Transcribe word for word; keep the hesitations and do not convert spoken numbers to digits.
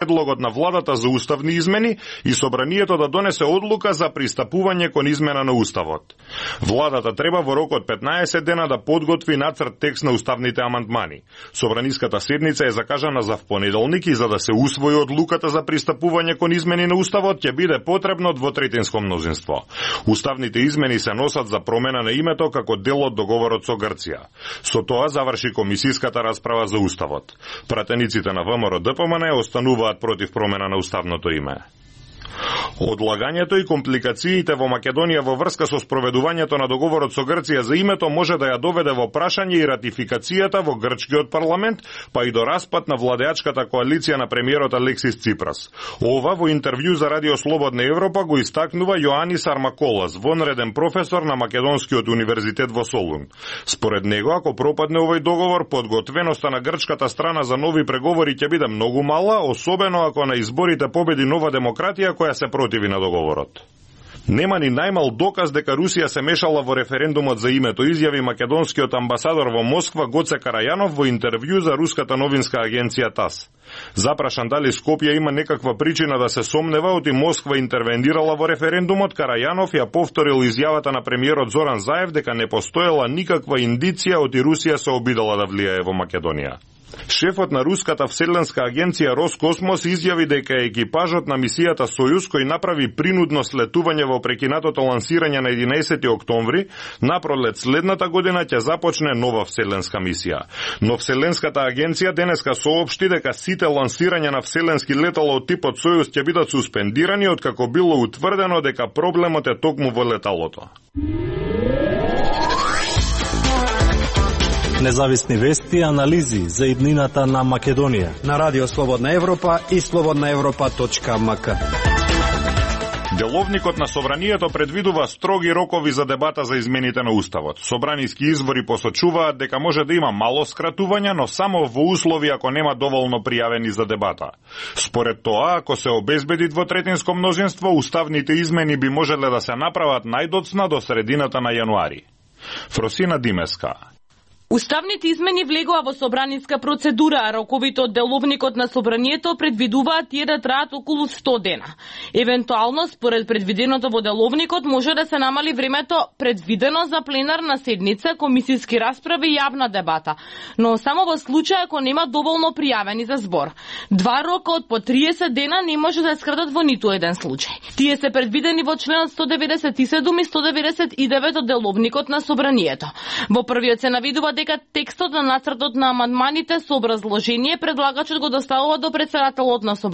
предлогот на владата за уставни измени и собранието да донесе одлука за пристапување кон измена на уставот. Владата треба во рок од петнаесет дена да подготви нацрт текст на уставните амандмани. Собраниската седница е закажана за впонеделник и за да се усвои одлуката за пристапување кон измени на уставот ќе биде потребно двотретинско мнозинство. Уставните измени се носат за промена на името како дел од договорот со Грција. Со тоа заврши комисиската расправа за уставот. Пратениците на ВМРО Д П М Н остануваат против промена на уставното име. Одлагањето и компликациите во Македонија во врска со спроведувањето на договорот со Грција за името може да ја доведе во прашање и ратификацијата во грчкиот парламент, па и до распад на владеачката коалиција на премиерот Алексис Ципрас. Ова во интервју за Радио Слободна Европа го истакнува Јоанис Армаколас, вонреден професор на Македонскиот универзитет во Солун. Според него, ако пропадне овој договор, подготвеноста на грчката страна за нови преговори ќе биде многу мала, особено ако на изборите победи Нова демократија која се противи на договорот. Нема ни најмал доказ дека Русија се мешала во референдумот за името, изјави македонскиот амбасадор во Москва Гоце Карајанов во интервју за руската новинска агенција ТАСС. Запрашан дали Скопје има некаква причина да се сомнева оти Москва интервенирала во референдумот, Карајанов ја повторил изјавата на премиерот Зоран Заев дека не постоела никаква индиција оти Русија се обидела да влијае во Македонија. Шефот на руската вселенска агенција Роскосмос изјави дека екипажот на мисијата Сојуз, кој направи принудно слетување во прекинатото лансирање на единаесети октомври, напролет следната година ќе започне нова вселенска мисија. Но вселенската агенција денеска соопшти дека сите лансирања на вселенски летала од типот Сојуз ќе бидат суспендирани откако било утврдено дека проблемот е токму во леталото. Независни вести и анализи за иднината на Македонија на Радио Слободна Европа и слободна европа точка м к. Деловникот на Собранието предвидува строги рокови за дебата за измените на Уставот. Собраниски извори посочуваат дека може да има мало скратување, но само во услови ако нема доволно пријавени за дебата. Според тоа, ако се обезбеди двотретинско мнозинство, уставните измени би можеле да се направат најдоцна до средината на јануари. Фросина Димеска. Уставните измени влегоа во собраниска процедура, а роковите од деловникот на Собранието предвидуваат тие да траат околу сто дена. Евентуално, според предвиденото во деловникот, може да се намали времето предвидено за пленарна седница, комисиски расправи и јавна дебата, но само во случај ако нема доволно пријавени за збор. Два рока од по триесет дена не може да се скратат во ниту еден случај. Тие се предвидени во членот сто деветдесет и седум и сто деветдесет и девет од деловникот на Собранието. Во првиот се навидува дека текстот на нацртот на амандманите со образложение предлагачот го доставува до претседателот на Собранието